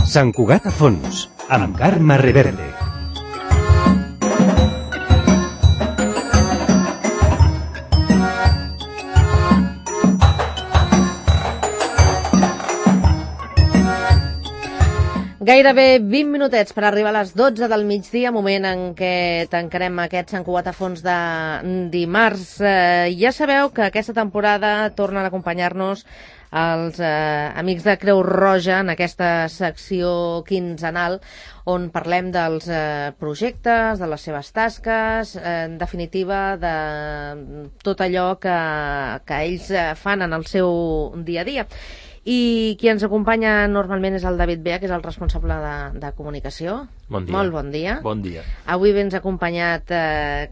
Sant Cugat a fons, amb Carme Reverte. Gairebé 20 minutets per arribar a les 12 del migdia, moment en què tancarem aquest Sant Cugat a fons de dimarts. Ja sabeu que aquesta temporada tornen a acompanyar-nos els amics de Creu Roja en aquesta secció quinzenal on parlem dels projectes, de les seves tasques, en definitiva de tot allò que ells fan en el seu dia a dia. I qui ens acompanya normalment és el David Bea, que és el responsable de comunicació. Bon dia. Molt bon dia. Bon dia. Avui vens acompanyat,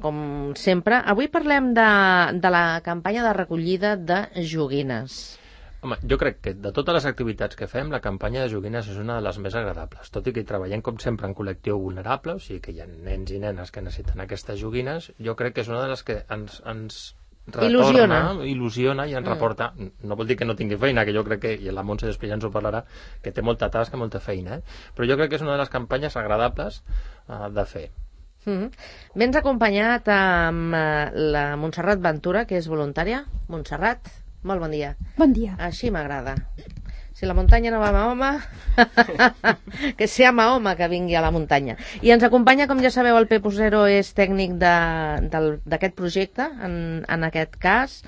com sempre. Avui parlem de la campanya de recollida de joguines. Home, jo crec que de totes les activitats que fem, la campanya de joguines és una de les més agradables. Tot i que hi treballem, com sempre, en col·lectiu vulnerable, o sigui que hi ha nens i nenes que necessiten aquestes joguines, jo crec que és una de les que ens retorna, il·lusiona i ens reporta. No vol dir que no tingui feina, que jo crec que, i la Montse després ja ens ho parlarà, que té molta tasca, molta feina, però jo crec que és una de les campanyes agradables de fer. Vens acompanyat amb la Montserrat Ventura, que és voluntària. Montserrat, molt bon dia. Bon dia. Així m'agrada. Si la muntanya no va a Mahoma, que sea Mahoma que vingui a la muntanya. I ens acompanya, com ja sabeu, el Pepo Zero és tècnic d'aquest projecte, en aquest cas,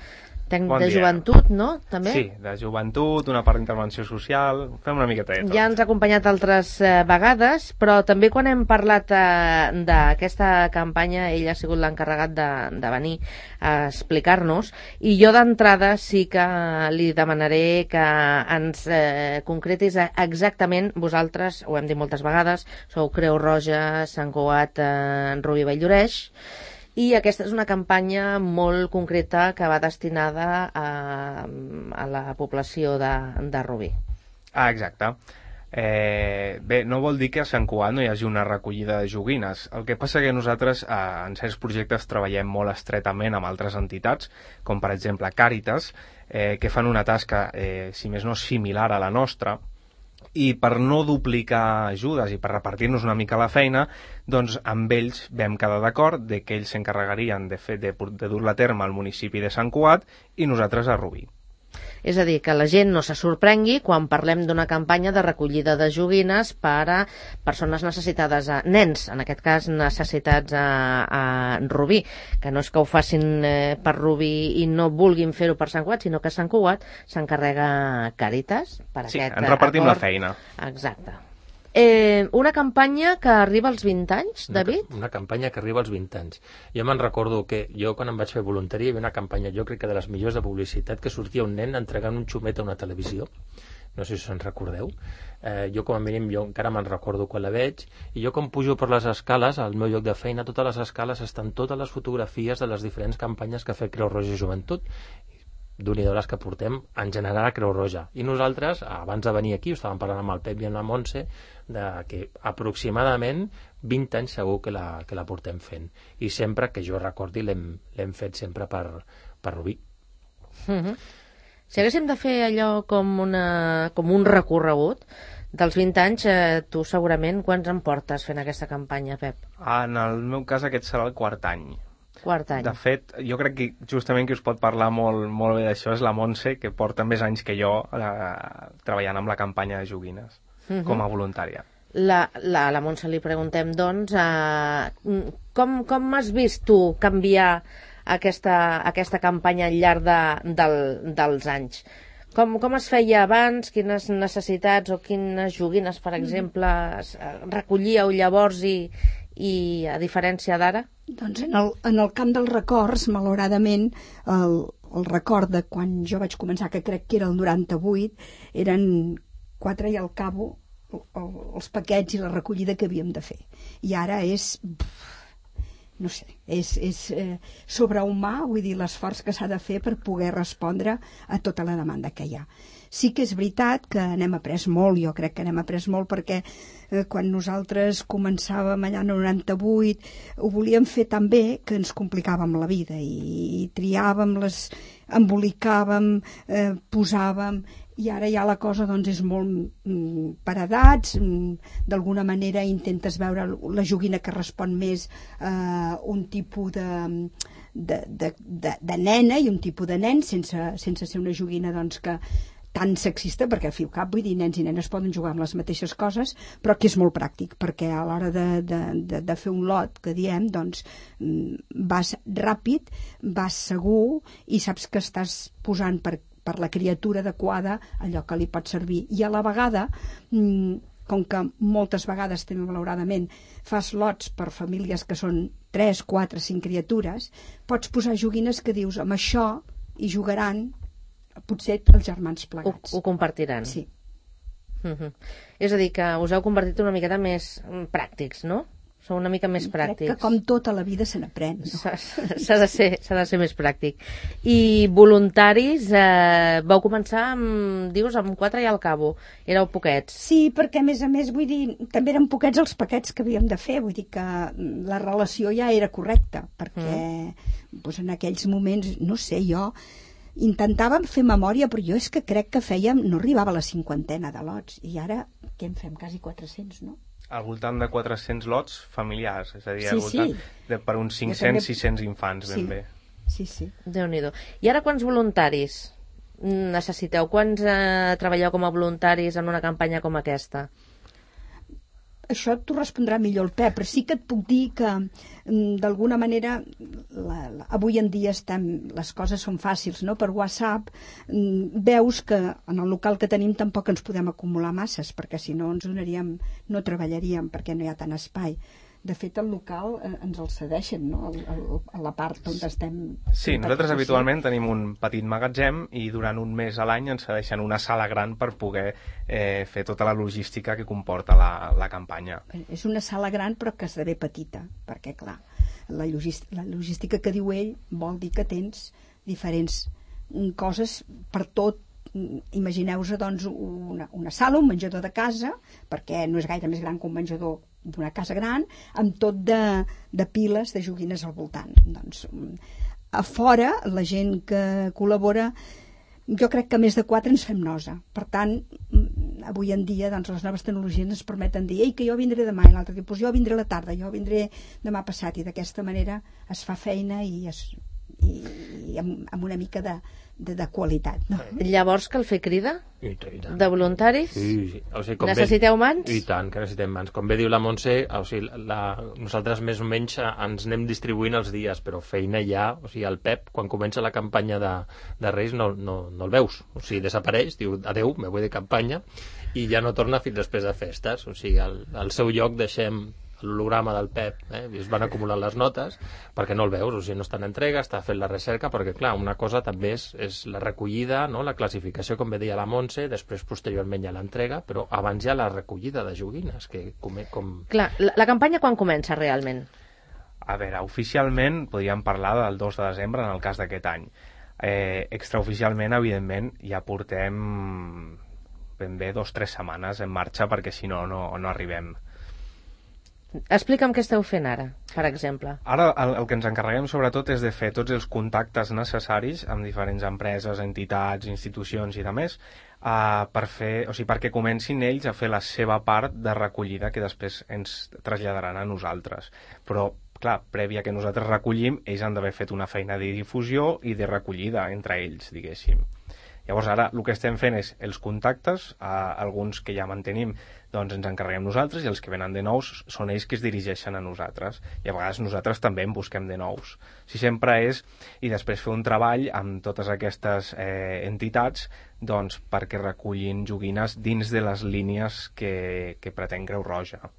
tècnic de joventut, no? També? Sí, de joventut, una part d'intervenció social, fem una miqueta de tot. Ja ens ha acompanyat altres vegades, però també quan hem parlat d'aquesta campanya, ell ha sigut l'encarregat de venir a explicar-nos, i jo d'entrada sí que li demanaré que ens concretis exactament, vosaltres, ho hem dit moltes vegades, sou Creu Roja, Sant Cugat, Rubí Valldoreix, i aquesta és una campanya molt concreta que va destinada a la població de Rubí. Exacte. Bé, no vol dir que a Sant Cugat no hi hagi una recollida de joguines. El que passa que nosaltres en certs projectes treballem molt estretament amb altres entitats, com per exemple Càritas, que fan una tasca, si més no, similar a la nostra, i per no duplicar ajudes i per repartir-nos una mica la feina, doncs amb ells vam quedar d'acord de que ells s'encarregarien de dur-la a terme al municipi de Sant Cugat i nosaltres a Rubí. És a dir, que la gent no se sorprengui quan parlem d'una campanya de recollida de joguines per a persones necessitades, nens, en aquest cas necessitats a Rubí, que no és que ho facin per Rubí i no vulguin fer-ho per Sant Cugat, sinó que Sant Cugat s'encarrega Càritas per sí, aquest ens repartim acord. La feina. Exacte. Una campanya que arriba als 20 anys, David? Una campanya que arriba als 20 anys. Jo me'n recordo que jo, quan em vaig fer voluntari, hi havia una campanya, jo crec que de les millors de publicitat, que sortia un nen entregant un xumet a una televisió. No sé si us en recordeu. Jo, com a mínim, jo encara me'n recordo quan la veig, i jo, com pujo per les escales, al meu lloc de feina, totes les escales estan totes les fotografies de les diferents campanyes que ha fet Creu Roja i Joventut, d'un-i-do les que portem en general a Creu Roja. I nosaltres, abans de venir aquí, estàvem parlant amb el Pep i amb la Montse, que aproximadament 20 anys segur que la portem fent. I sempre, que jo recordi, l'hem fet sempre per Rubí. Si haguéssim de fer allò com un recorregut dels 20 anys, tu segurament quants en portes fent aquesta campanya, Pep? En el meu cas aquest serà el quart any. Quart any. De fet, jo crec que justament qui us pot parlar molt bé d'això és la Montse, que porta més anys que jo treballant amb la campanya de joguines com a voluntària. La Montse li preguntem, doncs, com has vist tu canviar aquesta campanya al llarg dels anys? Com es feia abans? Quines necessitats o quines joguines, per exemple, recollíeu llavors i a diferència d'ara? Doncs en el camp dels records, malauradament, el record de quan jo vaig començar, que crec que era el 98, eren 4 i al cabo els paquets i la recollida que havíem de fer. I ara és, no sé, és sobrehumà, vull dir, l'esforç que s'ha de fer per poder respondre a tota la demanda que hi ha. Sí que és veritat que n'hem après molt, jo crec que n'hem après molt, perquè quan nosaltres començàvem allà en el 98 ho volíem fer tan bé que ens complicàvem la vida i triàvem, embolicàvem, posàvem, i ara ja la cosa doncs, és molt per edats, d'alguna manera intentes veure la joguina que respon més a un tipus de nena i un tipus de nen, sense ser una joguina doncs, que tan sexista, perquè al fi i al cap, vull dir, nens i nenes poden jugar amb les mateixes coses, però que és molt pràctic, perquè a l'hora de fer un lot, que diem, doncs vas ràpid, vas segur i saps que estàs posant per la criatura adequada allò que li pot servir. I a la vegada, com que moltes vegades també malauradament fas lots per famílies que són 3, 4, 5 criatures, pots posar joguines que dius, amb això hi jugaran potser els germans plegats. Ho compartiran. Sí. És a dir, que us heu convertit una miqueta més pràctics, no? Sou una mica més pràctics. Crec que com tota la vida se n'aprèn. No? S'ha de ser més pràctic. I voluntaris, vau començar, dius, amb 4 i al cabo. Éreu poquets. Sí, perquè a més, vull dir, també eren poquets els paquets que havíem de fer, vull dir que la relació ja era correcta, perquè doncs, en aquells moments, no sé, jo intentàvem fer memòria, però jo és que crec que fèiem, no arribava a la 50 de lots, i ara, què en fem? Quasi 400, no? Al voltant de 400 lots familiars, és a dir, sí. Per uns 500-600 infants, ben bé. Sí. Déu-n'hi-do. I ara quants voluntaris necessiteu? Quants treballeu com a voluntaris en una campanya com aquesta? Això t'ho respondrà millor el Pep, però sí que et puc dir que d'alguna manera avui en dia les coses són fàcils, no? Per WhatsApp veus que en el local que tenim tampoc ens podem acumular masses, perquè si no no treballaríem, perquè no hi ha tant espai. De fet, el local ens el cedeixen, no? A la part on estem... Sí, nosaltres habitualment tenim un petit magatzem i durant un mes a l'any ens cedeixen una sala gran per poder fer tota la logística que comporta la campanya. És una sala gran però que esdevé petita, perquè clar, la logística que diu ell vol dir que tens diferents coses per tot. Imagineu-vos doncs una sala, un menjador de casa, perquè no és gaire més gran que un menjador d'una casa gran, amb tot de piles de joguines al voltant. Doncs, a fora, la gent que col·labora, jo crec que més de 4 ens fem nosa. Per tant, avui en dia doncs, les noves tecnologies ens permeten dir que jo vindré demà, i l'altre dia, jo vindré a la tarda, jo vindré demà passat, i d'aquesta manera es fa feina i amb una mica de qualitat, no? Llavors cal fer crida? I tant. De voluntaris? Sí. O sigui, necessiteu mans? I tant, que necessitem mans. Com bé diu la Montse, o sigui, nosaltres més o menys ens anem distribuint els dies, però feina ja, o sigui, el Pep, quan comença la campanya de Reis, no el veus. O sigui, desapareix, diu, adeu, me voy de campanya, i ja no torna fins després de festes. O sigui, al seu lloc deixem l'holograma del Pep, i es van acumulant les notes perquè no el veus, o sigui, no està en entrega, està fent la recerca, perquè clar, una cosa també és la recollida, no? La classificació, com bé deia la Montse, després posteriorment hi ha l'entrega, però abans hi ha la recollida de joguines que Clar, la campanya quan comença realment? A veure, oficialment podríem parlar del 2 de desembre en el cas d'aquest any. Extraoficialment, evidentment, ja portem ben bé 2 o 3 setmanes en marxa, perquè si no arribem. Explica'm què esteu fent ara, per exemple. Ara el que ens encarreguem sobretot és de fer tots els contactes necessaris amb diferents empreses, entitats, institucions i demés perquè comencin ells a fer la seva part de recollida que després ens traslladaran a nosaltres. Però, clar, prèvia que nosaltres recollim, ells han d'haver fet una feina de difusió i de recollida entre ells, diguéssim. Llavors ara el que estem fent és els contactes, alguns que ja mantenim doncs ens encarreguem nosaltres, i els que venen de nous són ells que es dirigeixen a nosaltres, i a vegades nosaltres també en busquem de nous. Si sempre és, i després fer un treball amb totes aquestes entitats doncs perquè recullin joguines dins de les línies que pretén Creu Roja.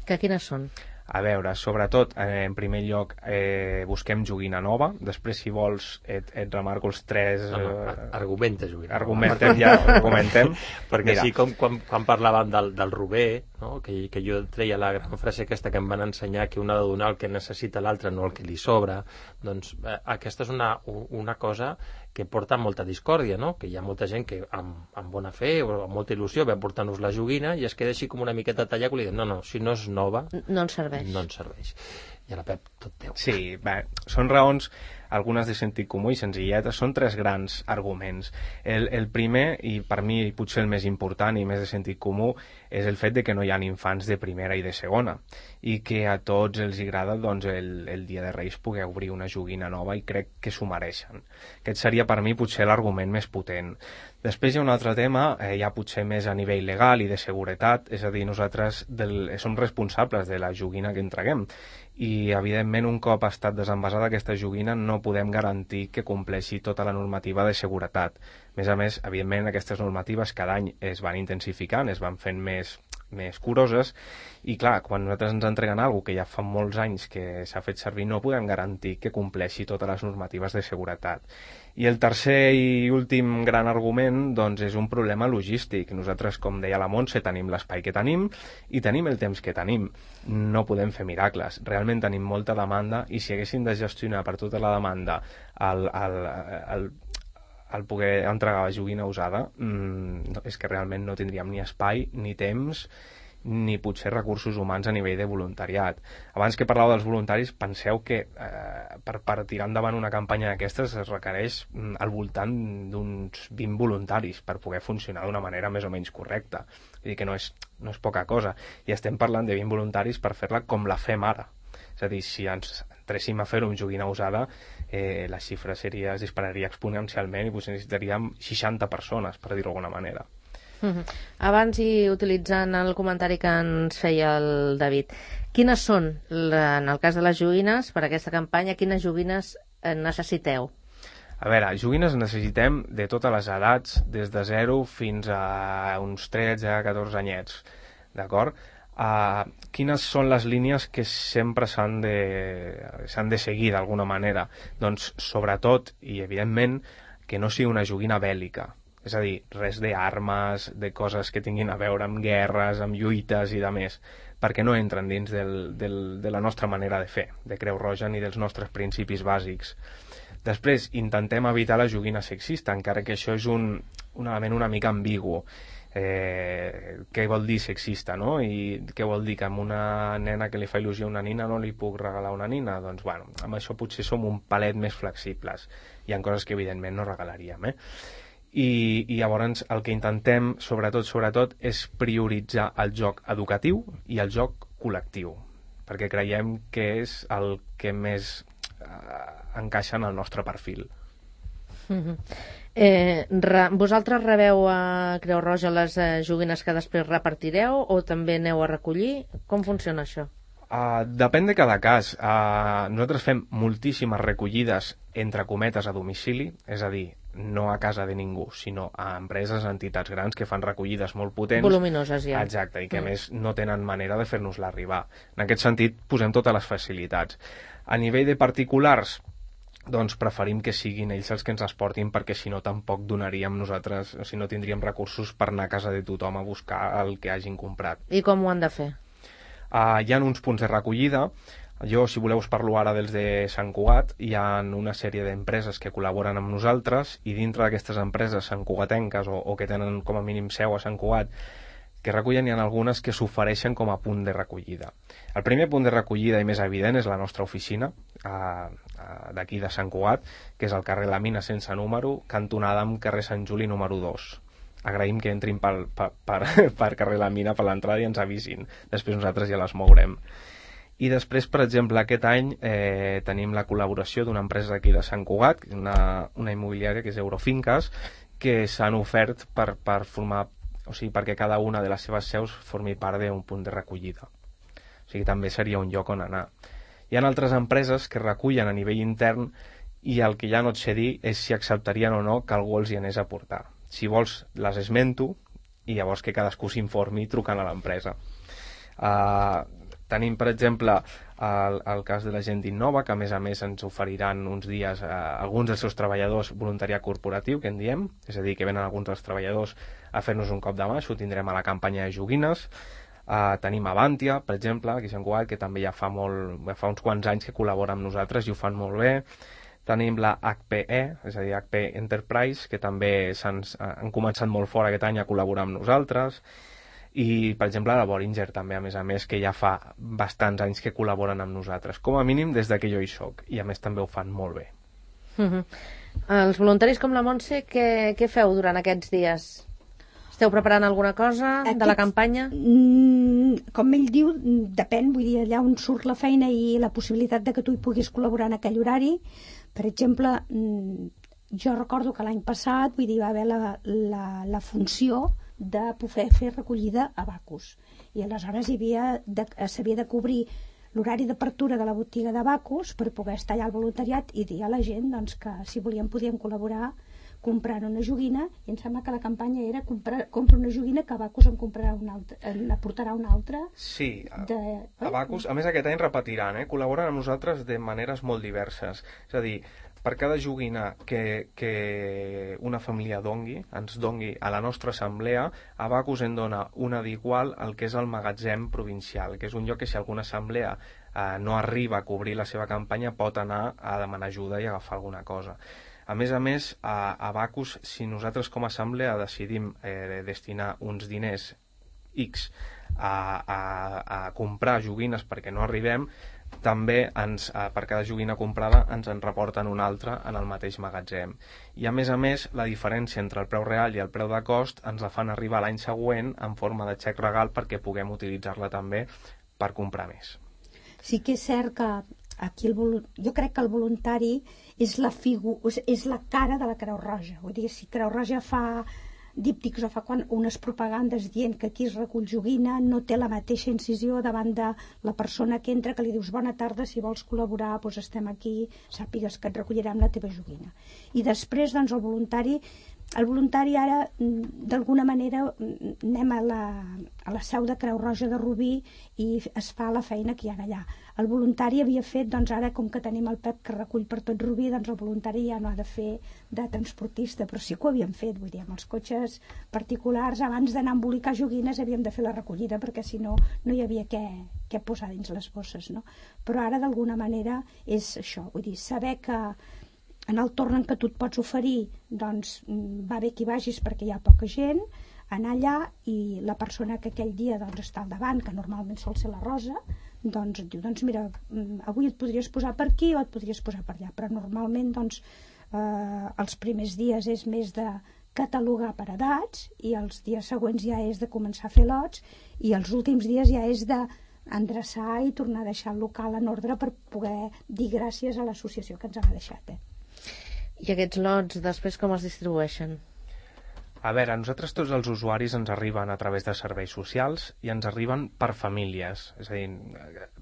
Que quines són? A veure, sobretot, en primer lloc, busquem joguina nova. Després, si vols, et remarco els 3... Argumenta joguina. Argumentem. Perquè sí, com quan parlàvem del rober, no? que jo treia la gran frase aquesta que em van ensenyar, que un ha de donar el que necessita l'altre, no el que li sobra, doncs aquesta és una cosa que porta molta discòrdia, no? Que hi ha molta gent que amb bona fe o amb molta il·lusió ve a portar-nos la joguina i es queda així com una miqueta tallat, i li diem, no, si no és nova... No ens serveix. No ens serveix. I a la Pep, tot teu. Sí, bé, són raons, algunes de sentit comú i senzilletes, són tres grans arguments. El primer, i per mi potser el més important i més de sentit comú, és el fet de que no hi ha infants de primera i de segona, i que a tots els agrada doncs, el dia de Reis poder obrir una joguina nova i crec que s'ho mereixen. Aquest seria per mi potser l'argument més potent. Després hi ha un altre tema, ja potser més a nivell legal i de seguretat, és a dir, nosaltres som responsables de la joguina que entreguem, i evidentment un cop ha estat desenvasada aquesta joguina no podem garantir que compleixi tota la normativa de seguretat. A més, evidentment aquestes normatives cada any es van intensificant, es van fent més curoses, i clar, quan nosaltres ens entreguen alguna que ja fa molts anys que s'ha fet servir, no podem garantir que compleixi totes les normatives de seguretat. I el tercer i últim gran argument doncs, és un problema logístic. Nosaltres, com deia la Montse, tenim l'espai que tenim i tenim el temps que tenim. No podem fer miracles. Realment tenim molta demanda i si haguéssim de gestionar per tota la demanda el poder entregar la joguina usada, és que realment no tindríem ni espai, ni temps, ni potser recursos humans a nivell de voluntariat. Abans que parlàveu dels voluntaris, penseu que per tirar endavant una campanya d'aquestes es requereix al voltant d'uns 20 voluntaris per poder funcionar d'una manera més o menys correcta. Vull dir que no és poca cosa. I estem parlant de 20 voluntaris per fer-la com la fem ara. És a dir, si ens entréssim a fer-ho amb joguina usada, la xifra es dispararia exponencialment i potser necessitaríem 60 persones, per dir-ho d'alguna manera. Abans, i utilitzant el comentari que ens feia el David, quines són, en el cas de les joguines, per aquesta campanya, quines joguines necessiteu? A veure, joguines necessitem de totes les edats, des de 0 fins a uns 13-14 anyets, d'acord? Quines són les línies que sempre s'han de seguir d'alguna manera? Doncs sobretot, i evidentment, que no sigui una joguina bèl·lica. És a dir, res d'armes, de coses que tinguin a veure amb guerres, amb lluites i de més, perquè no entren dins de la nostra manera de fer, de Creu Roja ni dels nostres principis bàsics. Després, intentem evitar la joguina sexista, encara que això és un element una mica ambigu. Què vol dir sexista, no? I què vol dir que amb una nena que li fa il·lusió a una nina no li puc regalar una nina? Doncs bueno, amb això potser som un palet més flexibles. Hi ha coses que evidentment no regalaríem, I llavors el que intentem sobretot és prioritzar el joc educatiu i el joc col·lectiu, perquè creiem que és el que més encaixa en el nostre perfil. Vosaltres rebeu a Creu Roja les joguines que després repartireu o també aneu a recollir? Com funciona això? Depèn de cada cas. Nosaltres fem moltíssimes recollides entre cometes a domicili, és a dir, no a casa de ningú, sinó a empreses, entitats grans que fan recollides molt potents. Voluminoses, ja. Exacte, i que a més no tenen manera de fer-nos-la arribar. En aquest sentit, posem totes les facilitats. A nivell de particulars, doncs preferim que siguin ells els que ens les portin, perquè si no tampoc donaríem nosaltres, si no tindríem recursos per anar a casa de tothom a buscar el que hagin comprat. I com ho han de fer? Hi ha uns punts de recollida. Jo, si voleu, us parlo ara dels de Sant Cugat. Hi ha una sèrie d'empreses que col·laboren amb nosaltres i dintre d'aquestes empreses santcugatenques o que tenen com a mínim seu a Sant Cugat que recullen, hi ha algunes que s'ofereixen com a punt de recollida. El primer punt de recollida i més evident és la nostra oficina d'aquí de Sant Cugat, que és al carrer La Mina sense número, cantonada amb carrer Sant Juli número 2. Agraïm que entrin per carrer La Mina per l'entrada i ens avisin. Després nosaltres ja les mourem. I després, per exemple, aquest any tenim la col·laboració d'una empresa d'aquí de Sant Cugat, una immobiliària que és Eurofinques, que s'han ofert per formar, o sigui, perquè cada una de les seves seus formi part d'un punt de recollida. O sigui, també seria un lloc on anar. Hi ha altres empreses que recullen a nivell intern i el que ja no et sé dir és si acceptarien o no que algú els hi anés a portar. Si vols, les esmento i llavors que cadascú s'informi trucant a l'empresa. Tenim, per exemple, el cas de la gent d'Innova, que a més ens oferiran uns dies alguns dels seus treballadors voluntariat corporatiu, que en diem, és a dir, que venen alguns dels treballadors a fer-nos un cop de mà, això ho tindrem a la campanya de joguines. Tenim Avantia, per exemple, aquí a Sant Cugat, que també ja fa uns quants anys que col·labora amb nosaltres i ho fan molt bé. Tenim la HPE, és a dir, HP Enterprise, que també han començat molt fort aquest any a col·laborar amb nosaltres. I, per exemple, la Bollinger també, a més, que ja fa bastants anys que col·laboren amb nosaltres, com a mínim des que jo hi soc, i a més també ho fan molt bé. Els voluntaris com la Montse, què feu durant aquests dies? Esteu preparant alguna cosa de la campanya? Com ell diu, depèn, vull dir, allà on surt la feina i la possibilitat de que tu hi puguis col·laborar en aquell horari. Per exemple, jo recordo que l'any passat, vull dir, va haver la funció de poder fer recollida a Bacus. I aleshores s'havia de cobrir l'horari d'apertura de la botiga de Bacus per poder estar allà al voluntariat i dir a la gent doncs, que si volien podien col·laborar comprant una joguina, i em sembla que la campanya era compra una joguina que a Bacus n'aportarà una altra. Sí, a Bacus, a més aquest any repetiran, col·laboren amb nosaltres de maneres molt diverses. És a dir, per cada joguina que una família ens dongui a la nostra assemblea, a Bacus en dona una d'igual al que és el magatzem provincial, que és un lloc que si alguna assemblea no arriba a cobrir la seva campanya pot anar a demanar ajuda i agafar alguna cosa. A més, a Bacus, si nosaltres com a assemblea decidim destinar uns diners X a comprar joguines perquè no arribem, també per cada joguina comprada ens en reporten una altra en el mateix magatzem. I a més, la diferència entre el preu real i el preu de cost ens la fan arribar l'any següent en forma de xec regal perquè puguem utilitzar-la també per comprar més. Sí que és cert que aquí jo crec que el voluntari és la cara de la Creu Roja. Vull dir, si Creu Roja fa díptics o fa unes propagandes dient que aquí es recull joguina, no té la mateixa incisió davant de la persona que entra, que li dius bona tarda, si vols col·laborar doncs estem aquí, sàpigues que et recollirem la teva joguina. I després doncs el voluntari ara d'alguna manera anem a la seu de Creu Roja de Rubí i es fa la feina que hi ha allà. El voluntari havia fet, doncs ara com que tenim el Pep que recull per tot Rubí, doncs el voluntari ja no ha de fer de transportista, però sí que ho havíem fet, vull dir, amb els cotxes particulars, abans d'anar a embolicar joguines havíem de fer la recollida perquè si no, no hi havia què posar dins les bosses, no? Però ara d'alguna manera és això, vull dir, saber que en el torn en què tu et pots oferir, doncs va bé que hi vagis perquè hi ha poca gent, anar allà i la persona que aquell dia doncs, està al davant, que normalment sol ser la Rosa, doncs et diu, doncs mira, avui et podries posar per aquí o et podries posar per allà, però normalment doncs els primers dies és més de catalogar per edats i els dies següents ja és de començar a fer lots i els últims dies ja és d'endreçar i tornar a deixar el local en ordre per poder dir gràcies a l'associació que ens ha deixat. I aquests lots després com es distribueixen? A veure, a nosaltres tots els usuaris ens arriben a través de serveis socials i ens arriben per famílies, és a dir,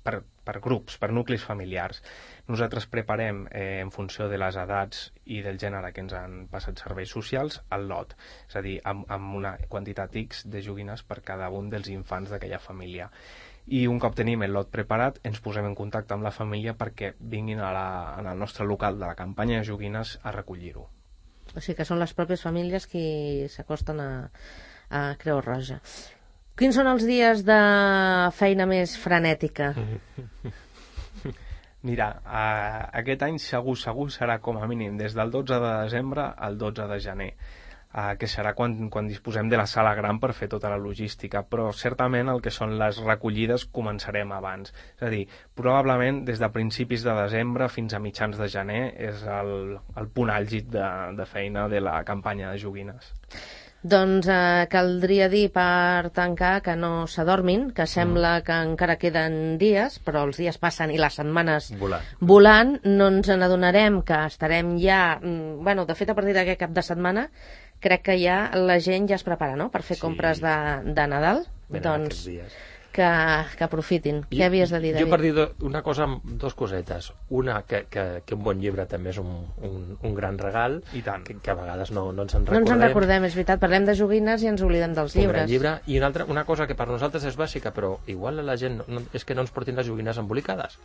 per grups, per nuclis familiars. Nosaltres preparem, en funció de les edats i del gènere que ens han passat serveis socials, el lot, és a dir, amb una quantitat X de joguines per cada un dels infants d'aquella família. I un cop tenim el lot preparat, ens posem en contacte amb la família perquè vinguin al nostre local de la campanya de joguines a recollir-ho. O sigui que són les pròpies famílies qui s'acosten a Creu Roja. Quins són els dies de feina més frenètica? Mira, aquest any segur serà com a mínim des del 12 de desembre al 12 de gener, que serà quan disposem de la sala gran per fer tota la logística, però certament el que són les recollides començarem abans. És a dir, probablement des de principis de desembre fins a mitjans de gener és el punt àlgid de feina de la campanya de joguines. Doncs caldria dir per tancar que no s'adormin, que sembla que encara queden dies, però els dies passen i les setmanes volant. No ens n'adonarem que estarem ja... de fet, a partir d'aquest cap de setmana crec que ja la gent ja es prepara, no?, per fer compres de Nadal. Doncs que aprofitin. Què havies de dir, David? Jo per dir una cosa, dos cosetes. Una, que un bon llibre també és un gran regal, i tant, que a vegades no ens en recordem. No ens en recordem, és veritat. Parlem de joguines i ens oblidem dels llibres. Un gran llibre. I una altra, una cosa que per nosaltres és bàsica, però igual a la gent és que no ens portin les joguines embolicades,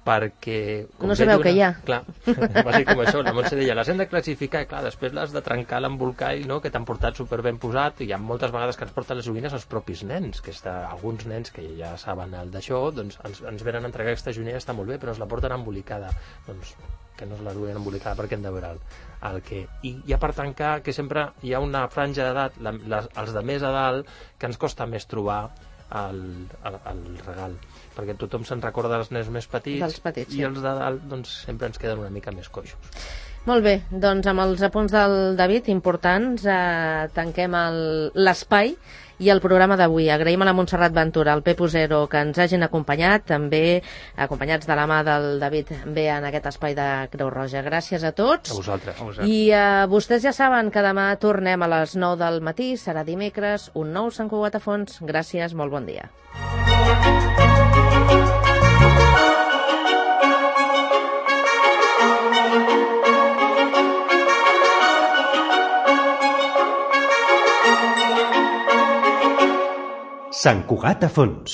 perquè... No sabeu què hi ha. Clar, va ser com això, la Montse deia, les hem de classificar, i clar, després les de trencar l'embolcall, no?, que t'han portat superben posat, i hi ha moltes vegades que ens porten les joguines els propis nens, que alguns nens que ja saben el d'això, doncs ens venen a entregar aquesta joguina i està molt bé, però ens la porten embolicada. Doncs que no es la duien embolicada perquè hem de veure el que... I ja per tancar, que sempre hi ha una franja d'edat, els de més a dalt, que ens costa més trobar el regal, perquè tothom se'n recorda dels nens més petits, sí. I els de dalt doncs, sempre ens queden una mica més coixos. Molt bé, doncs amb els apunts del David importants tanquem l'espai i el programa d'avui. Agraïm a la Montserrat Ventura, al Pepo Zero, que ens hagin acompanyat, també acompanyats de la mà del David Bé en aquest espai de Creu Roja. Gràcies a tots. A vosaltres. I vostès ja saben que demà tornem a les 9 del matí, serà dimecres, un nou Sant Cugat a fons. Gràcies, molt bon dia. Sant Cugat a fons.